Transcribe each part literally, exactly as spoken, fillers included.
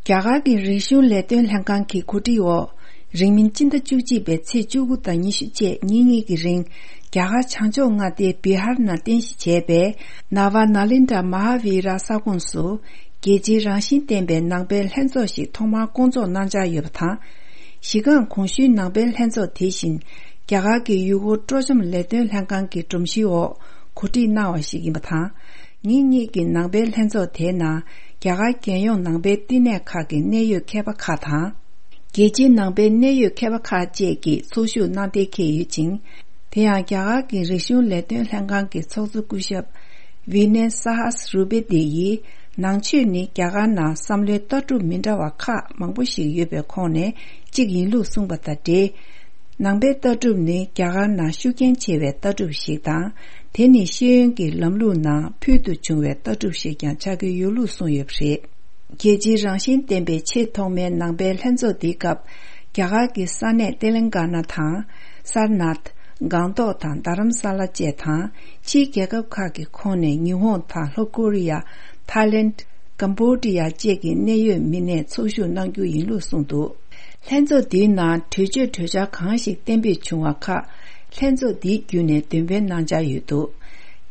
རྒྱ་གར་གྱི་རིག་གཞུང་ལས་དོན་ལྷན་ཁང་གི་གོ་སྒྲིག་འོག་རིང་མིན་སྤྱི་ཟླ་བཅུ་གཅིག་པའི་ཚེས་བཅུ་དགུ་དང་ཉི་ཤུ་བཅས་ཉིན་གཉིས་ཀྱི་རིང་རྒྱ་གར་བྱང་ཕྱོགས་མངའ་སྡེ་བི་ཧར་ནང་རྟེན་གཞི་བྱས་པའི་ནཱ་ཝཱ་ནཱ་ལེནྡྲ་མ་ཧཱ་བི་ར་ས་ཁོངས་སུ་རྒྱལ་སྤྱིའི་རང་བཞིན་ལྡན་པའི་ནང་པའི་ལྷན་ཚོགས་ཤིག་ཐོག་མར་བསྐོང་ཚོགས་གནང་འཆར་ཡོད་པ་དང་། གཞི་རྐང་གོང་ཞུས་ནང་པའི་ལྷན་ཚོགས་དེ་བཞིན་རྒྱ་གར་གྱི་ཡུལ་སྐོར་སྤྲོ་འཆམ་ལས་དོན་ལྷན་ཁང་གི་སྒྲོམ་གཞིའི་འོག་གོ་སྒྲིག་གནང་བ་ཞིག་ཡིན་པ་དང་། ཉིན་གཉིས་ཀྱི་ནང་པའི་ལྷན་ཚོགས་དེའི་ནང་རྒྱ་གར་རྒྱལ་ཡོངས་ནང་པའི་བསྟི་གནས་ཁག་གི་གནད་ཡོད་མཁས་པ་ཁག་དང་། རྒྱལ་སྤྱིའི་ནང་པའི་གནད་ཡོད་མཁས་པ་ཁག་བཅས་ཀྱིས་ཚོགས་ཞུགས་གནང་གཏན་འཁེལ་ཡོད་ཅིང་། དེ་ཡང་རྒྱ་གར་གྱི་རིག་གཞུང་ལས་དོན་ལྷན་ཁང་གི་ཚོགས་གཙོ་སྐུ་ཞབས་ཝི་ནེ་ས་ཧཱ་སི་རུ་པེ་ཏི་ཡིས། ནང་ཆོས་ནི་རྒྱ་གར་ནང་བསམ་བློའི་ལྟ་གྲུབ་མི་འདྲ་བ་ཁག་མང་པོ་ཞིག་ཡོད་པའི་ཁོངས་ནས་གཅིག་ཡིན་ལུགས་གསུངས་པ་དང་འབྲེལ། ནང་པའི་ལྟ་གྲུབ་ནི་རྒྱ་གར་ནང་ཤུགས་རྐྱེན་ཆེ་བའི་ལྟ་གྲུབ་ཞིག་དང་། དེ་ནི་ཤེས་ཡོན་གྱི་ལམ་ལུགས་ནང་ཕུལ་དུ་བྱུང་བའི་ལྟ་གྲུབ་ཞིག་ཀྱང་ཆགས་ཀྱི་ཡོད་ལུགས་གསུངས་ཡོད་པ་རེད། རྒྱལ་སྤྱིའི་རང་བཞིན་ལྡན་པའི་ཆེས་ཐོག་མའི་ནང་པའི་ལྷན་ཚོགས་འདིའི་སྐབས། རྒྱ་གར་གྱི་ས་གནས་ཏེ་ལེང་ག་ན་དང་། སར་ནཱཐ། སྒང་ཏོག་དང་རྡ་རམ་ས་ལ་བཅས་དང་། ཕྱིའི་རྒྱལ་ཁབ་ཁག་གི་ཁོངས་ནས་ཉི་ཧོང་དང་ལྷོ་ཀོ་རི་ཡ། ཐའི་ལེནྜ། ཀམ་བྷོ་ཌི་ཡ་བཅས་ཀྱི་གནད་ཡོད་མི་སྣས་ཚོགས་ཞུགས་གནང་རྒྱུ་ཡིན་ལུགས་གསུངས་འདུག་ལྷན་ཚོགས་འདིའི་ནང་གྲོས་ཆོད་གྲོས་འཆར་གང་ཞིག་གཏན་འབེབས་བྱུང་བ་ཁག་ལྷན་ཚོགས་འདིའི་བརྒྱུད་ནས་འདོན་སྤེལ་གནང་འཆར་ཡོད་འདུག་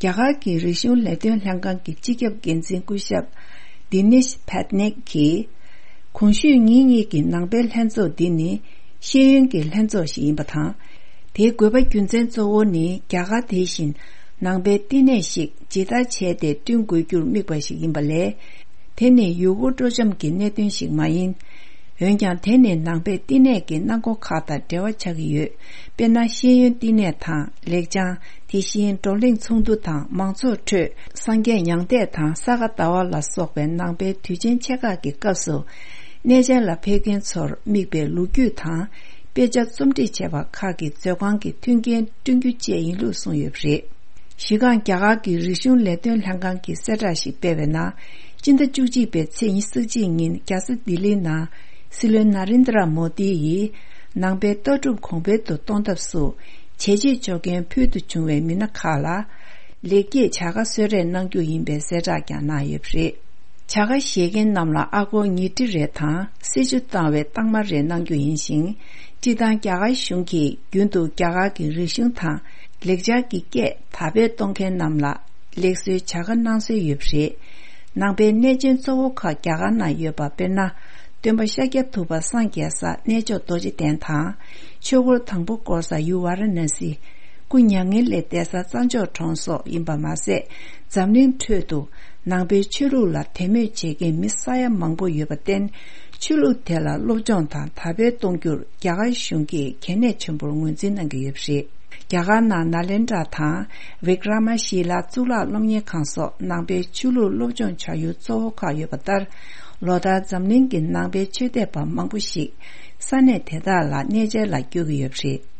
རྒྱ་གར་གྱི་རིག་གཞུང་ལས་དོན་ལྷན་ཁང་གི་སྤྱི་ཁྱབ་འགན་འཛིན་སྐུ་ཞབས་དི་ནེཤ་པད་ནེག་གིས། གོང་ཞུས་ཉིན་གཉིས་ཀྱི་ནང་པའི་ལྷན་ཚོགས་འདི་ནི་ཤེས་ཡོན་གྱི་ལྷན་ཚོགས་ཤིག་ཡིན་པ་དང་། དེའི་དགོས་པ་རྒྱུ་མཚན་གཙོ་བོ་ནི་རྒྱ་གར་དེ་བཞིན་ནང་པའི་བསྟི་གནས་ཤིག་ཇི་ལྟར་བྱས་ཏེ་བསྐྲུན་དགོས་རྒྱུར་དམིགས་པ་ཞིག་ཡིན་པ་ལས། དེ་ནི་ཡུལ་སྐོར་སྤྲོ་འཆམ་གྱི་གནད་དོན་ཞིག་མ་ཡིན། འོན་ཀྱང་དེ་ནི་ནང་པའི་བསྟི་གནས་ཀྱི་གནང་སྒོ་ཁག་དང་འབྲེལ་བ་ཆགས་ཀྱི་ཡོད། དཔེར་ན་ཤེས་ཡོན་བསྟི་གནས་དང་ལེགས་བྱང་། དེ་བཞིན་བགྲོ་གླེང་ཚོགས་འདུ་དང་མང་ཚོགས་ཁྲོད་སངས་རྒྱས་མྱང་འདས་དང་ས་ག་ཟླ་བ་ལ་སོགས་པའི་ནང་པའི་དུས་ཆེན་ཆེ་ཁག་གི་སྐབས་སུ། གནས་མཇལ་ལ་ཕེབས་མཁན་ཚོར་དམིགས་པའི་ལོ་རྒྱུས་དང་། དཔེ་ཆ་རྩོམ་སྒྲིག་བྱས་པ་ཁག་གི་མཛོད་ཁང་གི་མཐུན་རྐྱེན་བསྐྲུན་རྒྱུ་བཅས་ཡིན་ལུགས་གསུངས་ཡོད་པ་རེད། གཞི་རྐང་རྒྱ་གར་གྱི་རིག་གཞུང་ལས་དོན་ལྷན་ཁང་གིས་གསལ་བསྒྲགས་ཤིག་སྤེལ་བའི་ནང་། སྤྱི་ཟླ་བཅུ་གཅིག་པའི་ཚེས་ཉི་ཤུ་གཅིག་ཉིན་རྒྱལ་ས་ལྡི་ལིའི་ནང་། སྲིད་བློན་ན་རེན་དྲ་མོ་དི་ཡིས། ནང་པའི་ལྟ་གྲུབ་གོང་འཕེལ་དུ་གཏོང་ཐབས་སུ། བྱས་རྗེས་འཇོག་མཁན་ཕུལ་དུ་བྱུང་བའི་མི་སྣ་ཁག་ལ། ལེགས་སྐྱེས་བྱ་དགའ་གསོལ་རས་གནང་རྒྱུ་ཡིན་པའི་གསལ་བསྒྲགས་ཀྱང་གནང་ཡོད་པ་རེད། བྱ་དགའ་བཞེས་མཁན་རྣམས་ལ་ཨ་སྒོར་ཉིས་ཁྲི་རེ་དང་སྲི་ཞུ་བཏང་བའི་རྟགས་མ་རེ་གནང་རྒྱུ་ཡིན་ཞིང་། སྤྱིར་བཏང་རྒྱ་གར་གཞུང་གིས་རྒྱུན་དུ་རྒྱ་གར་གྱི་རིག་གཞུང་དང་ལེགས་སྦྱར་གྱི་སྐད་དར་སྤེལ་གཏོང་མཁན་རྣམས་ལ་ལེགས་གསོའི་བྱ་དགའ་གནང་སྲོལ་ཡོད་པ་རེད། ནང་པའི་གནས་ཆེན་གཙོ་བོ་ཁག་རྒྱ་གར་ནང་ཡོད་པ་དཔེར་ན། སྟོན་པ་ཤཱཀྱ་ཐུབ་པ་སངས་རྒྱས་ས་གནས་མཆོག་རྡོ་རྗེ་གདན་དང་། ཆོས་འཁོར་དང་པོ་བསྐོར་ས་ཡུལ་ཝཱ་ར་ཎ་སི། སྐུ་མྱ་ངན་ལས་འདས་ས་རྩྭ་མཆོག་གྲོང་སོགས་ཡིན་པ་མ་ཟད། འཛམ་གླིང་ཁྲོད་དུ་ནང་པའི་ཆོས་ལུགས་ལ་དད་མོས་བྱེད་མཁན་མི་ས་ཡ་མང་པོ་ཡོད་པར་བརྟེན། ཆོས་ལུགས་དེ་ལ་སློབ་སྦྱོང་དང་དར་སྤེལ་གཏོང་རྒྱུར་རྒྱ་གར་གཞུང་གིས་གལ་གནད་ཆེན་པོར་ངོས་འཛིན་གནང་གི་ཡོད་པ་རེད། རྒྱ་གར་ནང་ནཱ་ལེནྡྲ་དང་། བི་ཀྲ་མ་ཤི་ལ་གཙུག་ལག་སློབ་གཉེར་ཁང་སོགས་ནང་པའི་ཆོས་ལུགས་སློབ་སྦྱོང་བྱ་ཡུལ་གཙོ་བོ་ཁག་ཡོད་པ་ལྟར། ལོ་ལྟར་འཛམ་གླིང་གི་ནང་པའི་ཆོས་དད་པ་མང་པོ་ཞིག་ས་གནས་དེ་དག་ལ་གནས་མཇལ་ལ་བསྐྱོད་ཀྱི་ཡོད་པ་རེད།